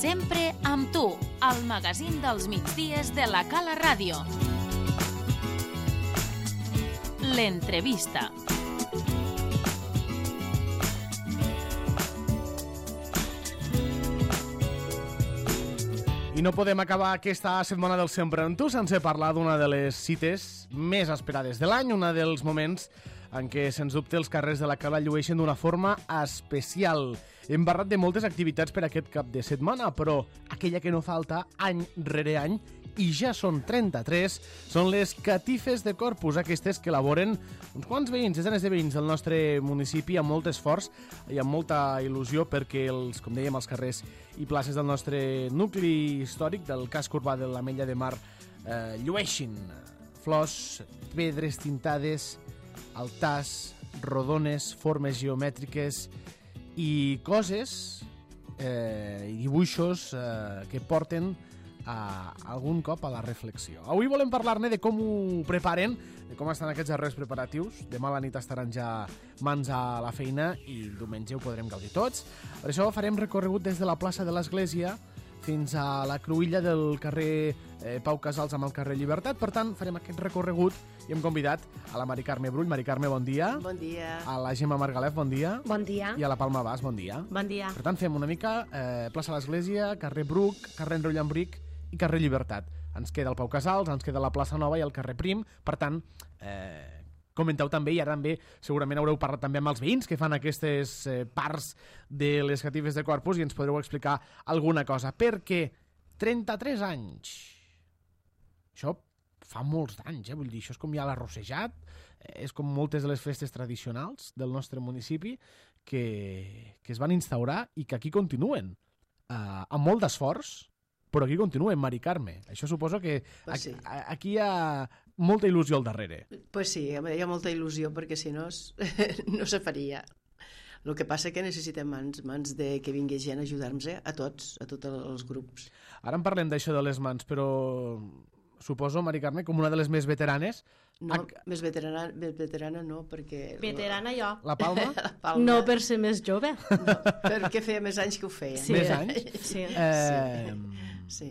Sempre amb tu, al magazín dels migdies de la Cala Ràdio. L'entrevista. I no podem acabar aquesta setmana del Sempre amb tu sense parlar d'una de les cites més esperades de l'any, un dels moments en què, sens dubte, els carrers de la Cala llueixen d'una forma especial. Hem parlat de moltes activitats per aquest cap de setmana, però aquella que no falta any rere any, i ja són 33, són les catifes de Corpus, aquestes que elaboren uns quants veïns, desenes de veïns del nostre municipi, amb molt esforç i amb molta il·lusió, perquè, com dèiem, els carrers i places del nostre nucli històric, del casc urbà de l'Ametlla de Mar, llueixin flors, pedres tintades, altars, rodones, formes geomètriques i coses i dibuixos que porten algun cop a la reflexió. Avui volem parlar-ne de com ho preparen, de com estan aquests darrers preparatius. Demà a la nit estaran ja mans a la feina i el diumenge ho podrem gaudir tots. Per això farem recorregut des de la plaça de l'Església fins a la cruïlla del carrer Pau Casals amb el carrer Llibertat. Per tant, farem aquest recorregut i hem convidat a la Mari Carme Brull. Mari Carme, bon dia. Bon dia. A la Gemma Margalef, bon dia. Bon dia. I a la Palma Bas, bon dia. Bon dia. Per tant, fem una mica plaça de l'Església, carrer Bruc, carrer Enroll Llambric i carrer Llibertat. Ens queda el Pau Casals, ens queda la plaça Nova i el carrer Prim. Per tant, comenteu també, i ara també segurament haureu parlat també amb els veïns que fan aquestes parts de les catifes de Corpus i ens podreu explicar alguna cosa, perquè 33 anys, això fa molts d'anys, vull dir, això és com ja l'arrossejat, és com moltes de les festes tradicionals del nostre municipi que es van instaurar i que aquí continuen, amb molt d'esforç, però aquí continuen, Mari Carme. Això suposo que Pues sí. Aquí hi ha molta il·lusió al darrere. Pues sí, hi ha molta il·lusió perquè si no no se faria. El que passa que necessitem mans de que vingui gent a ajudar-nos a tots els grups. Ara en parlem d'això de les mans, però suposo, Mari Carme, com una de les més veteranes... No, més veterana no, perquè... Veterana jo. La Palma? La Palma. No per ser més jove. No, perquè feia més anys que ho feia. Sí. Més anys? Sí. Sí.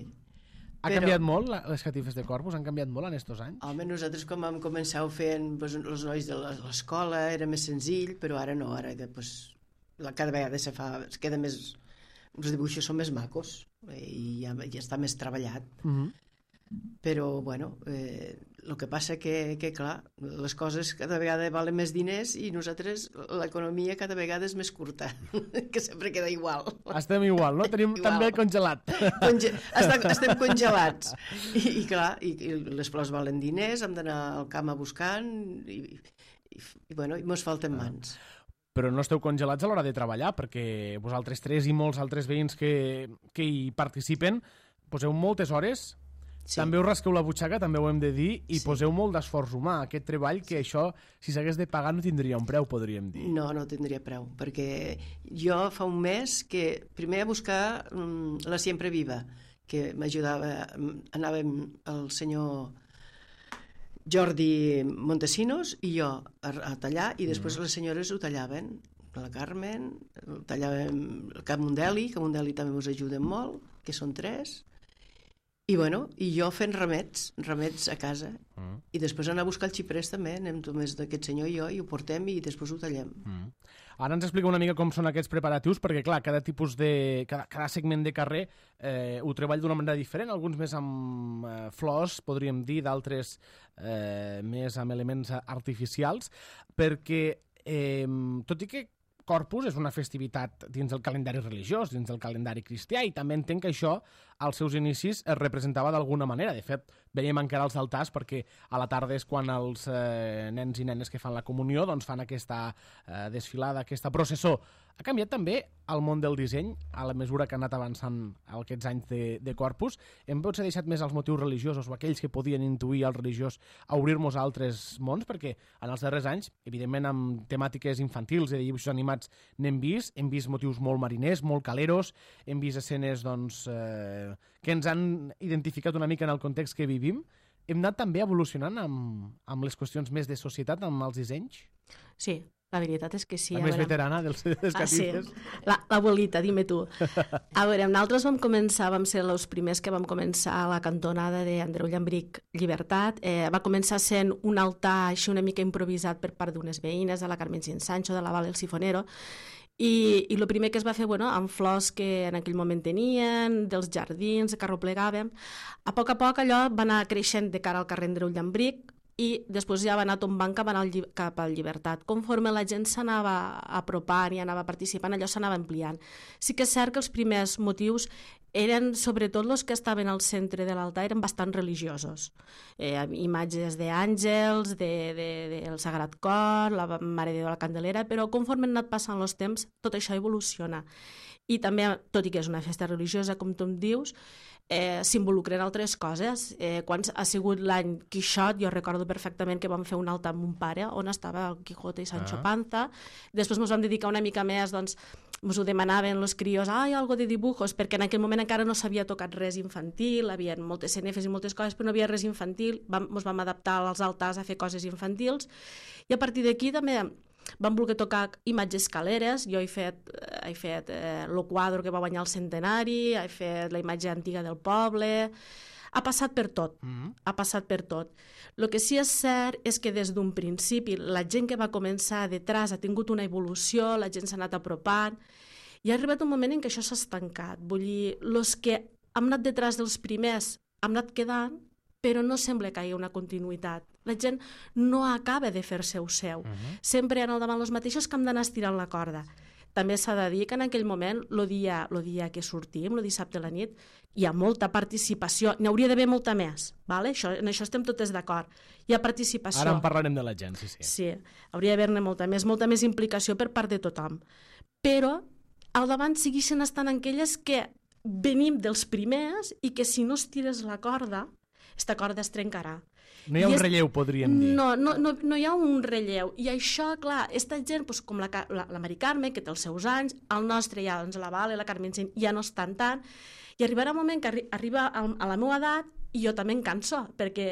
Ha canviat molt les catifes de Corpus? Han canviat molt en estos anys? Home, nosaltres quan vam començar fent els nois de l'escola era més senzill, però ara no, ara cada vegada es queda més... Els dibuixos són més macos i ja està més treballat. Però, bueno, el que passa que, clar, les coses cada vegada valen més diners i nosaltres l'economia cada vegada és més curta, que sempre queda igual. Estem igual, no? Tenim Igual. també congelat. Estem congelats. I clar, i les flors valen diners, hem d'anar al camp a buscant i bueno, i mos falten mans. Però no esteu congelats a l'hora de treballar, perquè vosaltres tres i molts altres veïns que hi participen poseu moltes hores. Sí. També us rasqueu la butxaca, també ho hem de dir, i poseu molt d'esforç humà. Aquest treball que això, si s'hagués de pagar, no tindria un preu, podríem dir. No tindria preu, perquè jo fa un mes que primer a buscar la Siempre Viva, que m'ajudava, anàvem el senyor Jordi Montesinos i jo a tallar, i després les senyores ho tallaven. La Carmen, tallàvem el Cap Mundeli, que Mundeli també ens ajuden molt, que són 3. I bueno, i jo fent remets a casa. I després anar a buscar el xiprers també, anem només d'aquest senyor i jo, i ho portem i després ho tallem. Ara ens explica una mica com són aquests preparatius, perquè clar, cada segment de carrer ho treballa d'una manera diferent, alguns més amb flors, podríem dir, d'altres més amb elements artificials, perquè tot i que Corpus és una festivitat dins del calendari religiós, dins del calendari cristià, i també entenc que això, als seus inicis, es representava d'alguna manera. De fet, veiem encara els altars perquè a la tarda és quan els nens i nenes que fan la comunió doncs fan aquesta desfilada, aquesta processó. Ha canviat també el món del disseny a la mesura que ha anat avançant aquests anys de Corpus. Hem potser deixat més els motius religiosos o aquells que podien intuir el religiós a obrir-nos a altres mons, perquè en els darrers anys, evidentment amb temàtiques infantils i de dibuixos animats hem vist motius molt mariners, molt caleros, hem vist escenes doncs, que ens han identificat una mica en el context que vivim. Hem anat també evolucionant amb les qüestions més de societat, amb els dissenys? Sí, La veritat és que sí. La més veterana dels catifes. Sí. L'abuelita, dime tu. A veure, nosaltres vam ser els primers que vam començar a la cantonada d'Andreu Llambric Llibertat. Va començar sent un altar així una mica improvisat per part d'unes veïnes, de la Carmen Sancho, de la Val El Sifonero, i el primer que es va fer, amb flors que en aquell moment tenien, dels jardins, que arroplegàvem. A poc allò va anar creixent de cara al carrer Andreu Llambric i després ja va anar tombant cap al Llibertat. Conforme la gent s'anava apropant i anava participant, allò s'anava ampliant. Sí que és cert que els primers motius eren, sobretot els que estaven al centre de l'altar, eren bastant religiosos. Imatges d'àngels, del Sagrat Cor, la Mare de Déu de la Candelera, però conforme han anat passant els temps, tot això evoluciona. I també, tot i que és una festa religiosa, com tu em dius, s'involucren altres coses. Quan ha sigut l'any Quixot, jo recordo perfectament que vam fer un altar amb un pare on estava el Quijote i Sancho Panza. Després ens vam dedicar una mica més, doncs, ens ho demanaven els crios, algo de dibujos, perquè en aquell moment encara no s'havia tocat res infantil, hi havia moltes cenefes i moltes coses, però no havia res infantil, ens vam adaptar als altars a fer coses infantils, i a partir d'aquí també vam voler tocar imatges caleres. Jo he fet el quadre que va guanyar el centenari, he fet la imatge antiga del poble. Ha passat per tot, ha passat per tot. El que sí és cert és que des d'un principi la gent que va començar detrás ha tingut una evolució, la gent s'ha anat apropant, i ha arribat un moment en què això s'ha estancat. Vull dir, els que hem anat detrás dels primers hem anat quedant, però no sembla que hi hagi una continuïtat. La gent no acaba de fer-se-ho seu. Sempre han al davant els mateixos que hem d'anar estirant la corda. També s'ha de dir que en aquell moment, el dia que sortim, el dissabte a la nit, hi ha molta participació. N'hi hauria d'haver molta més. Vale? En això estem totes d'acord. Hi ha participació. Ara en parlarem de la gent, sí. Sí, hauria d'haver-ne molta més implicació per part de tothom. Però al davant segueixen estant aquelles que venim dels primers i que si no estires la corda, esta corda es trencarà. No hi ha un relleu, podríem dir. No hi ha un relleu. I això, clar, aquesta gent, com la Mari Carme, que té els seus anys, el nostre ja, la Vale, la Carmen ja no estan tant, i arribarà un moment que arriba a la meva edat i jo també em canso, perquè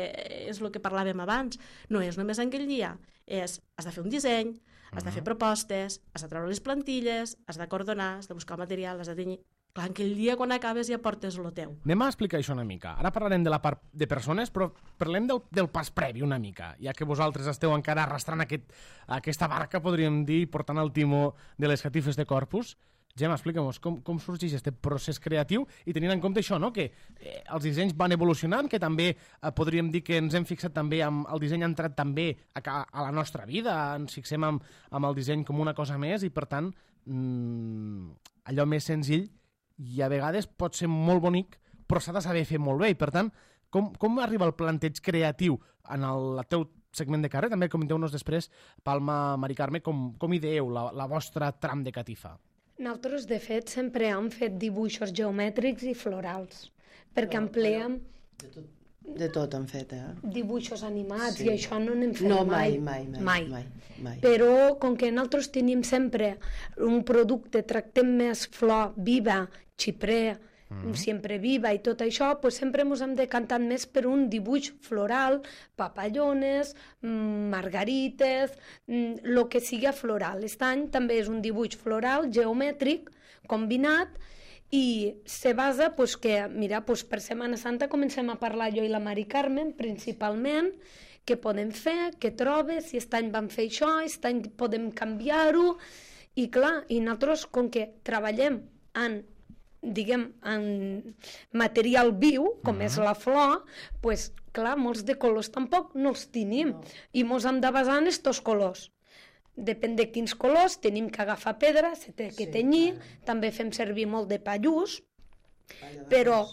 és el que parlàvem abans. No és només aquell dia, has de fer un disseny, has de fer propostes, has de treure les plantilles, has d'acordonar, has de buscar el material, has de tenyir. Clar, aquell dia quan acabes ja portes lo teu. Anem a explicar això una mica. Ara parlarem de la part de persones, però parlem del pas previ una mica, ja que vosaltres esteu encara arrastrant aquesta barca, podríem dir, portant el timó de les catifes de Corpus. Gemma, explica'm com sorgeix aquest procés creatiu i tenint en compte això, no? Que els dissenys van evolucionant, que també podríem dir que ens hem fixat també el disseny ha entrat també a la nostra vida, ens fixem amb el disseny com una cosa més i per tant allò més senzill i a vegades pot ser molt bonic, però s'ha de saber fer molt bé. I per tant, com arriba el planteig creatiu en el teu segment de carrer? També comenteu-nos després, Palma, Mari Carme, com ideeu la vostra tram de catifa. Nosaltres, de fet, sempre hem fet dibuixos geomètrics i florals, perquè empleem... De tot han fet, dibuixos animats, i això no n'hem fet mai. Però com que nosaltres tenim sempre un producte, tractem més flor viva, xiprer, sempre viva i tot això, pues sempre ens hem decantat més per un dibuix floral, papallones, margarites, el que sigui floral. Aquest any també és un dibuix floral, geomètric, combinat, i se basa que, mira, per Setmana Santa comencem a parlar jo i la Mari Carmen, principalment, què podem fer, què trobes, si aquest any vam fer això, aquest any podem canviar-ho, i clar, i nosaltres, com que treballem en material viu, com és la flor, doncs, clar, molts de colors tampoc no els tenim, i ens hem de basar en aquests colors. Depèn de quins colors, tenim que agafar pedra, se té que tenyir, també fem servir molt de pallús, però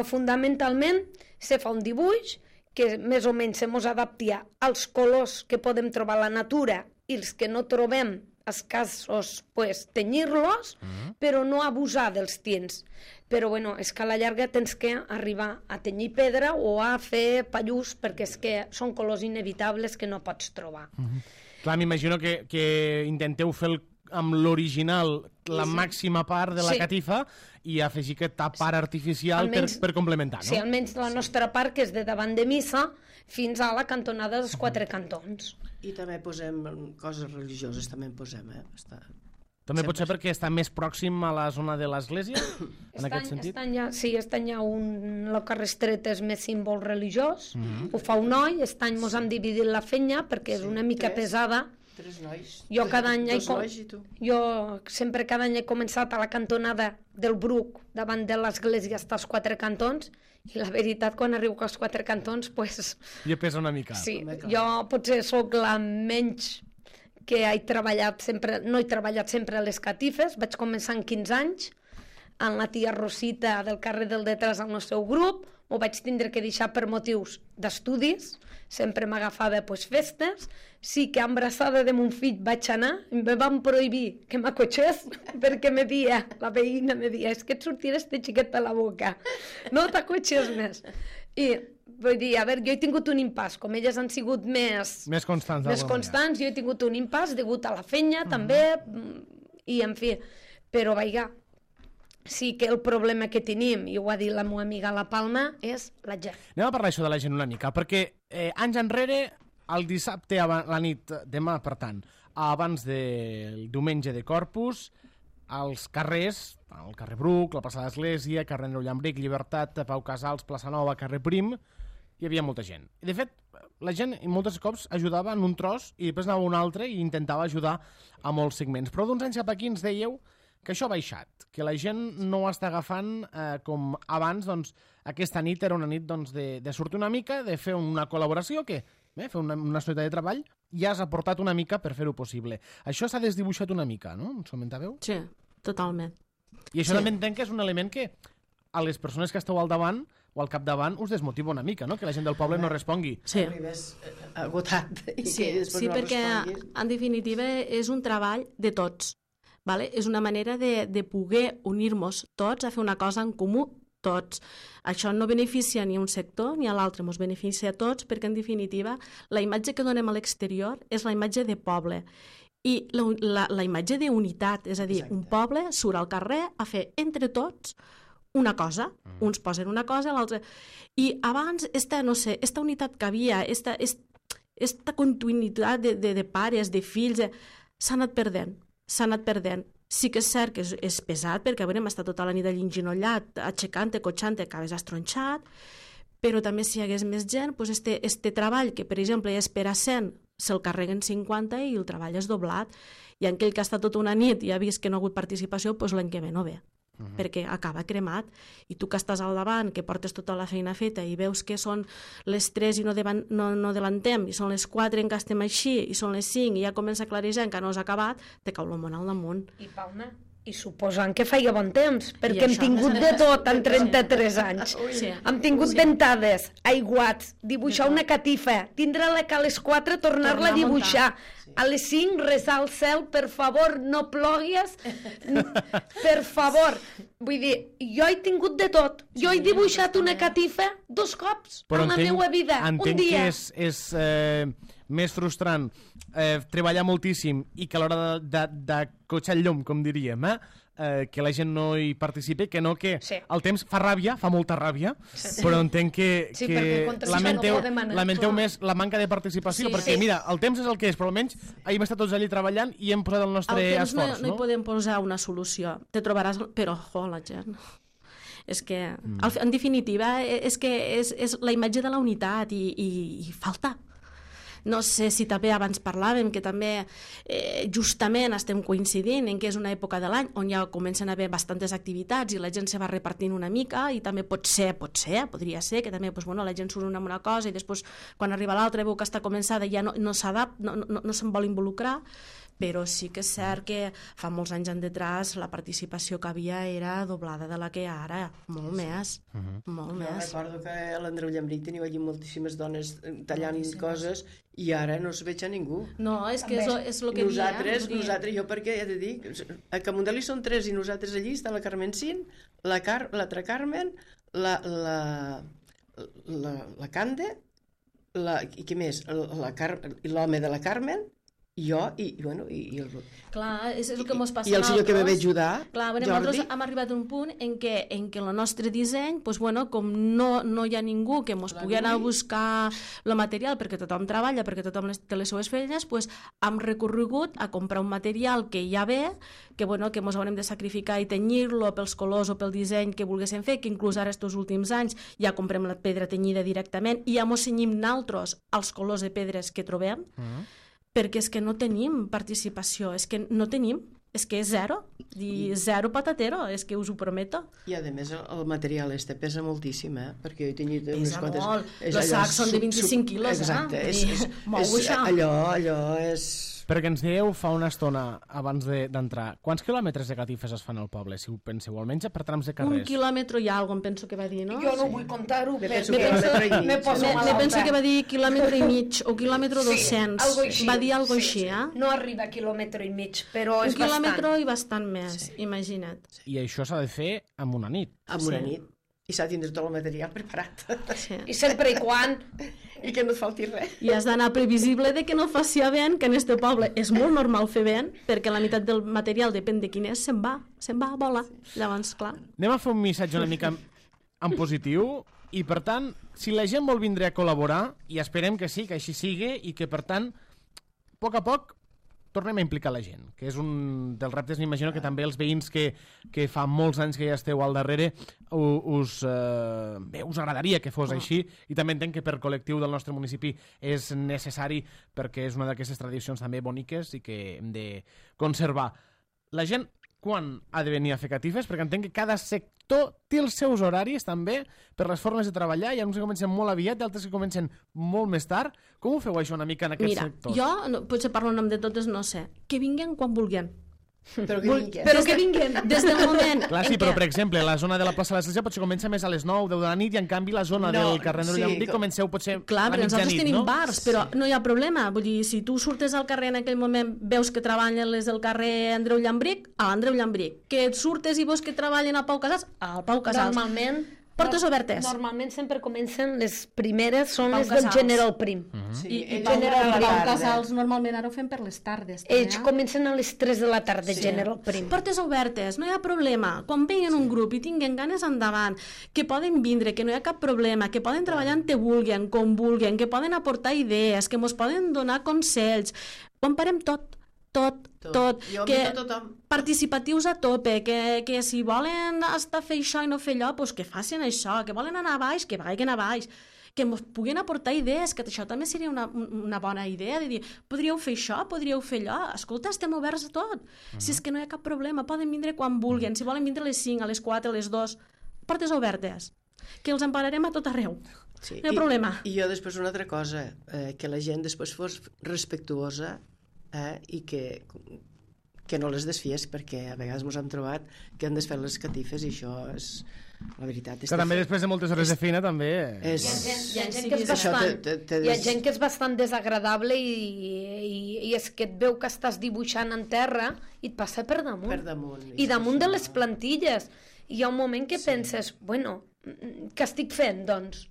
fonamentalment se fa un dibuix que més o menys se mos adapta als colors que podem trobar a la natura i els que no trobem escassos, pues, tenyir-los, però no abusar dels tints. Però, bueno, és que a la llarga tens que arribar a tenyir pedra o a fer pallús, perquè és que són colors inevitables que no pots trobar. Clar, m'imagino que intenteu fer amb l'original la màxima part de la catifa i afegir aquesta part artificial per complementar, no? Sí, almenys la nostra part, que és de davant de missa fins a la cantonada dels quatre cantons. I també posem coses religioses, també en posem, També pot ser perquè està més pròxim a la zona de l'església, en aquest sentit? Estan ja el carrer Estret és més símbol religiós, ho fa un noi, aquest any mos hem dividit la fenya perquè és una mica pesada. 3 nois, jo cada any dos nois i tu. Jo sempre cada any he començat a la cantonada del Bruc, davant de l'església, hasta els 4 cantons, i la veritat, quan arribo als 4 cantons, pues... Ja pesa una mica. Sí, jo potser sóc la menys que he treballat sempre, no he treballat sempre a les catifes, vaig començar amb 15 anys, amb la tia Rosita del carrer del Detrás al seu grup, ho vaig tindre que deixar per motius d'estudis, sempre m'agafava festes, sí que embrassada de mon fill vaig anar, me van prohibir que m'acotxés, perquè la veïna me dia, és que et sortirà este xiquet a la boca, no t'acotxes més. I vull dir, a veure, jo he tingut un impàs, com elles han sigut més constants, jo he tingut un impàs degut a la fenya, també, i en fi, però vaiga, sí que el problema que tenim, i ho ha dit la meva amiga La Palma, és la gent. Anem a parlar això de la gent una mica, perquè anys enrere, el dissabte a la nit, demà, per tant, abans del diumenge de Corpus, als carrers, el carrer Bruc, la plaça d'Església, carrer Andreu Llambric, Llibertat, Pau Casals, plaça Nova, carrer Prim, hi havia molta gent. I de fet, la gent molts cops ajudava en un tros i després anava a un altre i intentava ajudar a molts segments. Però d'uns anys cap aquí ens dèieu que això ha baixat, que la gent no ho està agafant com abans, doncs aquesta nit era una nit de sortir una mica, de fer una col·laboració, que fer una societat de treball, ja has aportat una mica per fer-ho possible. Això s'ha desdibuixat una mica, no? Ens comentàveu? Sí, totalment. I això també entenc que és un element que a les persones que esteu al davant o al capdavant us desmotiva una mica, no? Que la gent del poble no respongui. Sí. Arribes agotat i sí, que després no perquè responguis. En definitiva és un treball de tots. Vale? És una manera de poder unir-nos tots a fer una cosa en comú tots. Això no beneficia ni un sector ni a l'altre, ens beneficia a tots perquè en definitiva la imatge que donem a l'exterior és la imatge de poble i la imatge d'unitat, és a dir, un poble surt al carrer a fer entre tots una cosa, uns posen una cosa, l'altre... I abans, esta unitat que havia, esta continuïtat de pares, de fills, s'ha anat perdent. Sí que és cert que és pesat, perquè hem estat tota la nit allà enginollat, aixecant-te, cotxant-te, acabes estronxat, però també si hi hagués més gent, doncs este treball, que per exemple és per a 100, se'l carreguen 50 i el treball és doblat. I aquell que ha estat tota una nit i ha vist que no ha hagut participació, doncs l'any que ve no ve, perquè acaba cremat. I tu que estàs al davant, que portes tota la feina feta i veus que són les 3 i no delantem, i són les 4 en què estem així, i són les 5 i ja comença a clarejar, encara no s'ha acabat, te cau el món al damunt. I Palma, i suposant que feia bon temps, perquè hem tingut de tot en 33 anys. Sí. Hem tingut ventades, aiguats, dibuixar una catifa, tindre-la que a les 4 tornar-la a dibuixar, a les 5 resar al cel, per favor, no plogues, per favor. Vull dir, jo he tingut de tot. Jo he dibuixat una catifa 2 cops en la meva vida, un dia. Entenc que és més frustrant treballar moltíssim i que a l'hora de cotxar el llum, com diríem, que la gent no hi participi, que no que el temps fa ràbia, fa molta ràbia, però entenc que lamenteu més la manca de participació, perquè mira, el temps és el que és, però almenys hem estat tots allí treballant i hem posat el nostre esforç. No hi podem posar una solució, te trobaràs, però la gent... És que, en definitiva, és que és la imatge de la unitat i falta. No sé si també abans parlàvem que també justament estem coincidint en que és una època de l'any on ja comencen a haver bastantes activitats i la gent se va repartint una mica i també podria ser que també la gent surt amb una cosa i després quan arriba l'altra veu que està començada ja no s'adapta, no se'n vol involucrar, però sí que és cert que fa molts anys endetrás la participació que havia era doblada de la que ara, molt més. Molt més. Jo recordo que a l'Andreu Llambric teniu allí moltíssimes dones tallant coses i ara no es veig a ningú. No, és que és el que nosaltres, jo perquè he de dir, a Camundeli són 3 i nosaltres allí està la Carmencín, l'altra Carmen, la Cande, i què més? L'home de la Carmen Jo i el... Clar, és el que ens passa I el senyor que me ve ajudar, clar, bueno, Jordi. nosaltres hem arribat a un punt en què el nostre disseny, doncs, bueno, com no hi ha ningú que ens pugui anar a buscar el material perquè tothom treballa, perquè tothom té les seues feines, doncs, hem recorregut a comprar un material que ja ve, que ens haurem de sacrificar i tenyir-lo pels colors o pel disseny que volguéssim fer, que inclús ara estos últims anys ja comprem la pedra tenyida directament i ja mos cenyim naltros als colors de pedres que trobem, perquè és que no tenim participació, és que no tenim, és que és zero, i zero patatero, és que us ho prometo. I a més el material pesa moltíssim, perquè jo he tenyit unes Pesa quantes... molt, els sacs són de 25 quilos, exacte, mou això. Allò és... Perquè ens dieu fa una estona abans d'entrar, quants quilòmetres de catifes es fan al poble, si ho penseu, almenys per trams de carrers? 1 quilòmetre i algo, em penso que va dir, no? Jo no vull contar-ho, penso que Me penso que va dir quilòmetre i mig o quilòmetre 200. algo així. Va dir algo així, eh? No arriba a quilòmetre i mig, però és Un quilòmetre bastant. i bastant més, imagina't. I això s'ha de fer amb una nit. Amb una nit. I s'ha de tindre tot el material preparat. Sí. I sempre i quan... I que no et falti res. I has d'anar previsible de que no faci vent, que en este poble és molt normal fer vent, perquè la meitat del material, depèn de quin és, se'n va, vola. Llavors, clar. Anem a fer un missatge una mica en positiu i, per tant, si la gent vol vindre a col·laborar, i esperem que sí, que així sigui, i que, per tant, a poc tornem a implicar la gent, que és un dels reptes, m'imagino que també els veïns que fa molts anys que ja esteu al darrere us agradaria que fos així, i també entenc que per col·lectiu del nostre municipi és necessari perquè és una d'aquestes tradicions també boniques i que hem de conservar. La gent quan ha de venir a fer catifes? Perquè entenc que cada sector té els seus horaris també per les formes de treballar. Hi ha uns que comencen molt aviat i altres que comencen molt més tard. Com ho feu això una mica en aquests sectors? Mira, jo, potser parlo en nom de totes, no sé. Que vinguen quan vulguin. Però que vingui. Però que vinguin des del moment Clar, sí, però per exemple, la zona de la plaça de l'Església potser comença més a les 9, 10 de la nit, i en canvi la zona del carrer Andreu Llambrí comenceu potser Clar, a perquè la nosaltres mitjanit, tenim no? bars, però no hi ha problema. Vull dir, si tu surtes al carrer en aquell moment, veus que treballen les del carrer Andreu Llambric, a l'Andreu Llambric. Que et surtes i veus que treballen al Pau Casals, al Pau Casals. Normalment... Portes obertes. Normalment sempre comencen, les primeres són Pau les del Casals. General Prim. Sí, I Pau General Casals. Casals normalment ara ho fem per les tardes. Ells també, comencen a les 3 de la tarda, General Prim. Portes obertes, no hi ha problema. Quan vegin un grup i tinguen ganes endavant, que poden vindre, que no hi ha cap problema, que poden treballar on te vulguin, com vulguin, que poden aportar idees, que mos poden donar consells. Ho emparem tot. Jo que invito a tothom. participatius a tope, que si volen estar a fer això i no fer allò, doncs que facin això, que volen anar a baix, que vagin a baix, que ens puguin aportar idees, que això també seria una bona idea, de dir, podríeu fer això, podríeu fer allò, escolta, estem oberts a tot, si és que no hi ha cap problema, poden vindre quan vulguin, si volen vindre a les 5, a les 4, a les 2, portes obertes, que els empararem a tot arreu. Sí. No hi ha problema. I jo després una altra cosa, que la gent després fos respectuosa i que no les desfies, perquè a vegades ens hem trobat que han desfet les catifes i això és... La veritat és Que també després de moltes hores de feina també... Hi ha gent que és Això bastant, hi ha gent que és bastant desagradable i és que et veu que estàs dibuixant en terra i et passa per damunt. Per damunt. I damunt de les plantilles. I hi ha un moment que penses, bueno, què estic fent, doncs?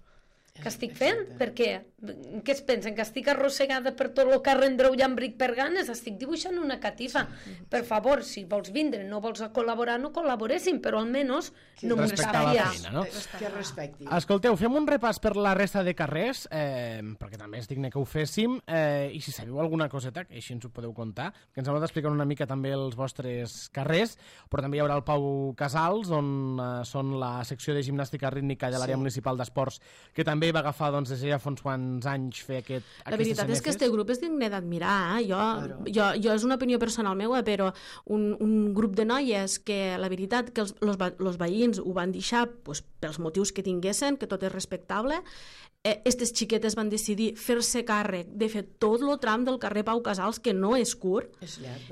Què estic fent? Per què? Què es pensen? Que estic arrossegada per tot el carrer Andreu Llambric per ganes? Estic dibuixant una catifa. Per favor, si vols vindre, no vols col·laborar, no col·laboréssim, però almenys no m'ho Respectar la sabies. feina, no? Que respecti. Escolteu, fem un repàs per la resta de carrers, perquè també és digne que ho féssim, i si sabeu alguna coseta, que així ens ho podeu contar, que ens heu d'explicar una mica també els vostres carrers, però també hi haurà el Pau Casals, on són la secció de gimnàstica rítmica de l'àrea municipal d'esports, que també va agafar des de ja fa uns quants anys fer La veritat és que este grup és digne d'admirar. Jo és una opinió personal meva, però un grup de noies que la veritat que els veïns ho van deixar pels motius que tinguessin, que tot és respectable, aquestes xiquetes van decidir fer-se càrrec de fer tot el tram del carrer Pau Casals, que no és curt.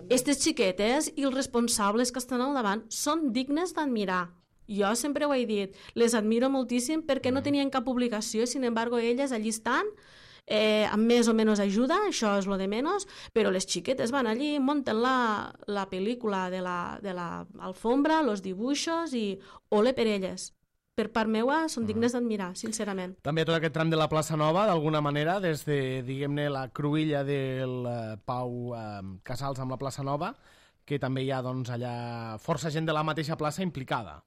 Aquestes xiquetes i els responsables que estan al davant són dignes d'admirar. Jo sempre ho he dit, les admiro moltíssim perquè no tenien cap obligació, sin embargo elles allí estan, amb més o menys ajuda, això és lo de menys, però les xiquetes van allí, munten la pel·lícula de la alfombra, los dibuixos i ole per elles. per part meva, són dignes d'admirar, sincerament. També tot aquest tram de la plaça Nova, d'alguna manera, des de, diguem-ne, la cruïlla del Pau Casals amb la plaça Nova, que també hi ha, doncs, allà força gent de la mateixa plaça implicada.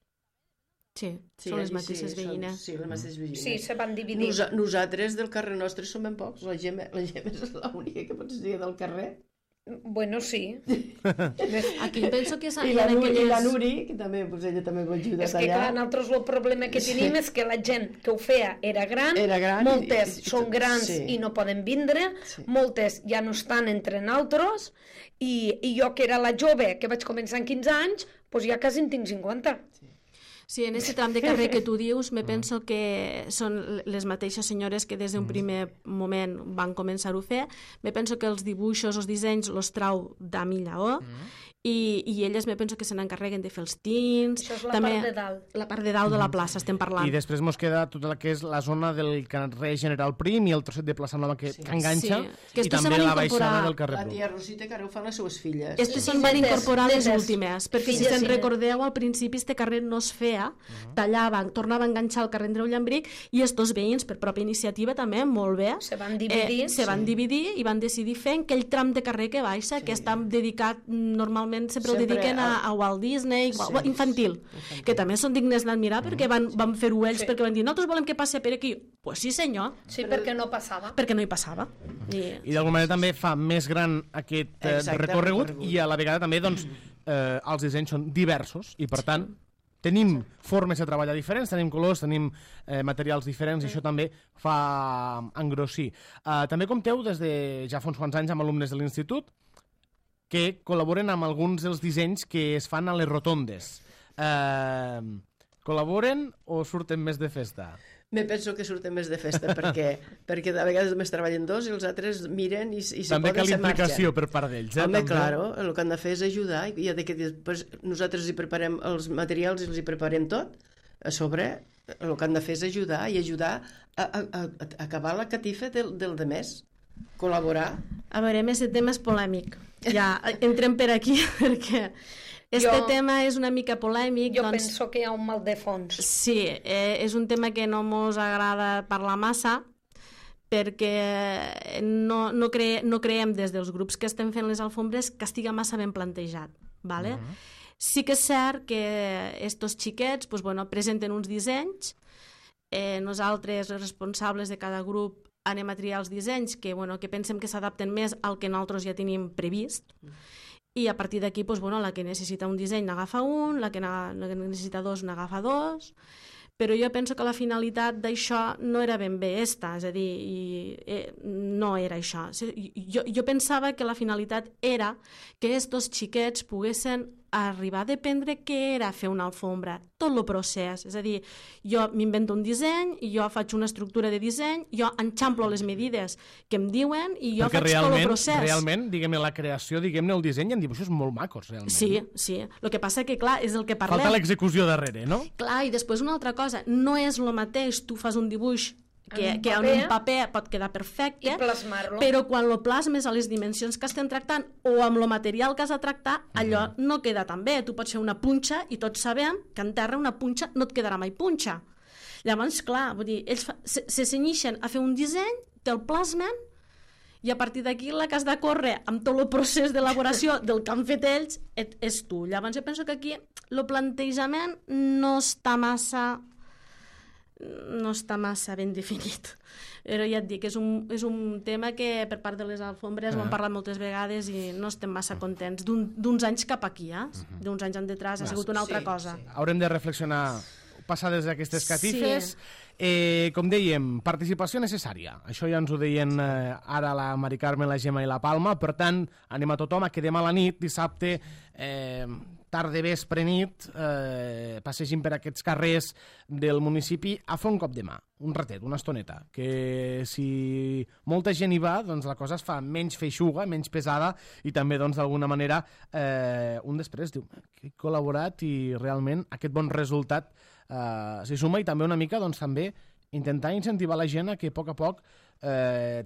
Sí, són les mateixes veïnes. Sí, les mateixes veïnes. Sí, se van dividir. Nosaltres del carrer nostre som ben pocs. La Gemma és l'única que pots dir del carrer. Bueno, sí. Aquí penso que I la Nuri, que també, pues, ella també ho ajuda allà. És que clar, nosaltres el problema que tenim és que la gent que ho feia era gran moltes són grans i no poden vindre, moltes ja no estan entre nosaltres, i jo que era la jove, que vaig començar amb 15 anys, doncs ja quasi en tinc 50. Sí, en aquest tram de carrer que tu dius, me penso que són les mateixes senyores que des d'un primer moment van començar-ho a fer. Me penso que els dibuixos, els dissenys, els trau d'Ami Lleó, i elles me penso que se n'encarreguen de fer els tints. Això és la també, part de dalt. La part de dalt de la plaça, estem parlant. I després mos queda tota la que és la zona del carrer General Prim i el trosset de plaça Nova que enganxa, que i també la baixada del carrer La Bru. tia Rosita, que ara ho fan les seues filles. Estes se'n van incorporar les netes, últimes, perquè si se'n recordeu, al principi este carrer no es feia, tallaven, tornava a enganxar el carrer Andreu Llambric, i estos veïns, per pròpia iniciativa també, molt bé, Se van dividir. se van dividir i van decidir fer aquell tram de carrer que baixa, que està dedicat, normalment sempre ho dediquen a Walt Disney, infantil, que també són dignes d'admirar perquè van fer-ho ells, perquè van dir, nosaltres volem que passi per aquí. Pues sí, senyor. Sí, perquè no passava. Perquè no hi passava. I d'alguna manera també fa més gran aquest recorregut, i a la vegada també doncs, els dissenys són diversos i per tant tenim formes de treballar diferents, tenim colors, tenim materials diferents, i això també fa engrossir. També compteu des de ja fa uns quants anys amb alumnes de l'institut que col·laboren amb alguns dels dissenys que es fan a les rotondes. Col·laboren o surten més de festa? Me penso que surten més de festa, perquè de vegades només treballen dos i els altres miren i se també poden, se marxen. També cal implicació per part d'ells. Home, claro, el que han de fer és ajudar, i ja que després nosaltres hi preparem els materials i els hi preparem tot, a sobre el que han de fer és ajudar, i ajudar a acabar la catifa del demés, col·laborar. A veure, més el tema és polèmic. Ja, entrem per aquí, perquè tema és una mica polèmic. Jo penso que hi ha un mal de fons. Sí, és un tema que no mos agrada parlar massa, perquè no creiem des dels grups que estem fent les alfombres que estiga massa ben plantejat, ¿vale? Sí que és cert que estos xiquets presenten uns dissenys, nosaltres, els responsables de cada grup, anem a triar els dissenys que pensem que s'adapten més al que nosaltres ja tenim previst, i a partir d'aquí la que necessita un disseny n'agafa un, la que necessita dos n'agafa dos, però jo penso que la finalitat d'això no era ben bé esta, és a dir, no era això. Jo pensava que la finalitat era que estos xiquets poguessin arribar a dependre què era fer una alfombra, tot el procés, és a dir, jo m'invento un disseny, jo faig una estructura de disseny, jo enxamplo les medides que em diuen i jo faig tot el procés. Perquè realment, diguem-ne, la creació, diguem-ne, el disseny en dibuixos molt macos, realment. Sí. El que passa que, clar, és el que parlem. Falta l'execució darrere, no? Clar, i després una altra cosa, no és el mateix, tu fas un dibuix que en un paper pot quedar perfecte, però quan lo plasmes a les dimensions que estem tractant o amb el material que has de tractar, allò no queda tan bé. Tu pots fer una punxa i tots sabem que en terra una punxa no et quedarà mai punxa. Llavors, clar, vull dir, ells se cenyixen a fer un disseny, te'l plasmen, i a partir d'aquí la que has de córrer amb tot el procés d'elaboració del que han fet ells és tu. Llavors jo penso que aquí el plantejament no està massa ben definit. Però ja et dic, és un tema que per part de les alfombres ho hem parlat moltes vegades i no estem massa contents. D'uns anys cap aquí, d'uns anys en detrás ha sigut una altra cosa. Haurem de reflexionar passades d'aquestes catifes. Com dèiem, participació necessària. Això ja ens ho deien ara la Mari Carmen, la Gemma i la Palma. Per tant, anem a tothom a que demà a la nit, dissabte, tarda, vespre, nit, passegin per aquests carrers del municipi a fer un cop de mà, un ratet, una estoneta, que si molta gent hi va, doncs la cosa es fa menys feixuga, menys pesada, i també, doncs, d'alguna manera, un després diu que he col·laborat i realment aquest bon resultat s'hi suma, i també una mica, doncs, també intentar incentivar la gent a que a poc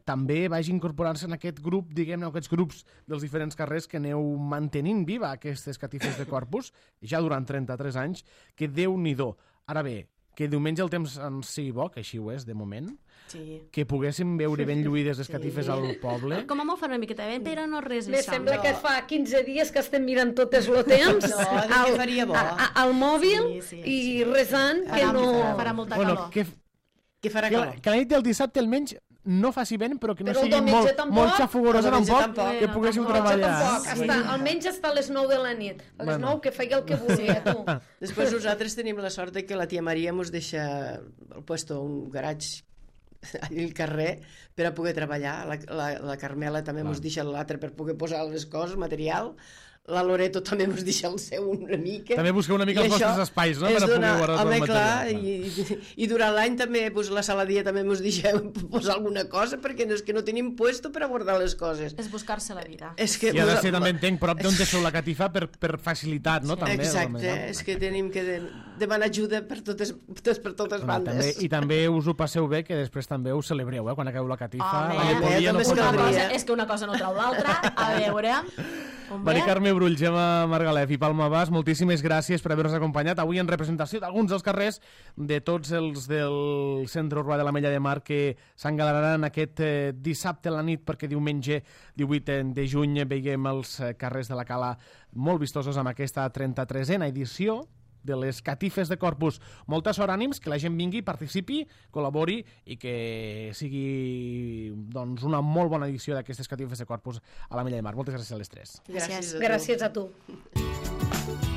també vagi incorporant-se en aquest grup, diguem-ne, aquests grups dels diferents carrers que aneu mantenint viva aquestes catifes de Corpus ja durant 33 anys, que Déu-n'hi-do. Ara bé, que diumenge el temps ens sigui bo, que així ho és, de moment, Sí. que poguéssim veure ben lluïdes les catifes al poble. Com a molt fa una miqueta bé, però no res Me això. sembla que fa 15 dies que estem mirant totes el temps No, dic que faria bo. al mòbil Sí, i resant que no... Farà molta Bueno, calor. Què farà que, calor? que la nit del dissabte almenys no faci vent, però que no Però el sigui diumenge molt, tampoc. molt xafogorosa El diumenge tampoc, tampoc. que poguéssiu Tampoc, treballar. almenys hasta les 9 de la nit. A les 9 que feia el que volia, tu. Després nosaltres tenim la sort de que la tia Maria ens deixa al puesto un garatge allà al carrer per a poder treballar. La Carmela també ens deixa l'altre per poder posar les coses, material. La Loreto també ens deixa el seu una mica. També busqueu una mica I els això vostres espais, no?, és per a poder donar- guardar tot el home, material. clar, i durant l'any també pues, la saladia també ens deixa posar alguna cosa perquè no, és que no tenim puesto per a guardar les coses. És buscar-se la vida. És que I ha de ser, també entenc, prop d'on deixeu la catifa per facilitat, no? També, Exacte, és que tenim que demanar ajuda per totes bandes. I també us ho passeu bé, que després també us celebreu, quan acabeu la catifa. Home, la llepolia no també pot és anar. caldria. És que una cosa no trau l'altra. A veure... Mari Carme Brull, Gemma Margalef i Palma Bas, moltíssimes gràcies per haver-nos acompanyat avui en representació d'alguns dels carrers de tots els del centre urbà de l'Ametlla de Mar que s'engalanaran aquest dissabte a la nit, perquè diumenge 18 de juny veiem els carrers de la Cala molt vistosos amb aquesta 33a edició de les catifes de Corpus. Molta sort, ànims, que la gent vingui, participi, col·labori i que sigui doncs, una molt bona edició d'aquestes catifes de Corpus a l'Ametlla de Mar. Moltes gràcies a les tres. Gràcies a tu. Gràcies a tu.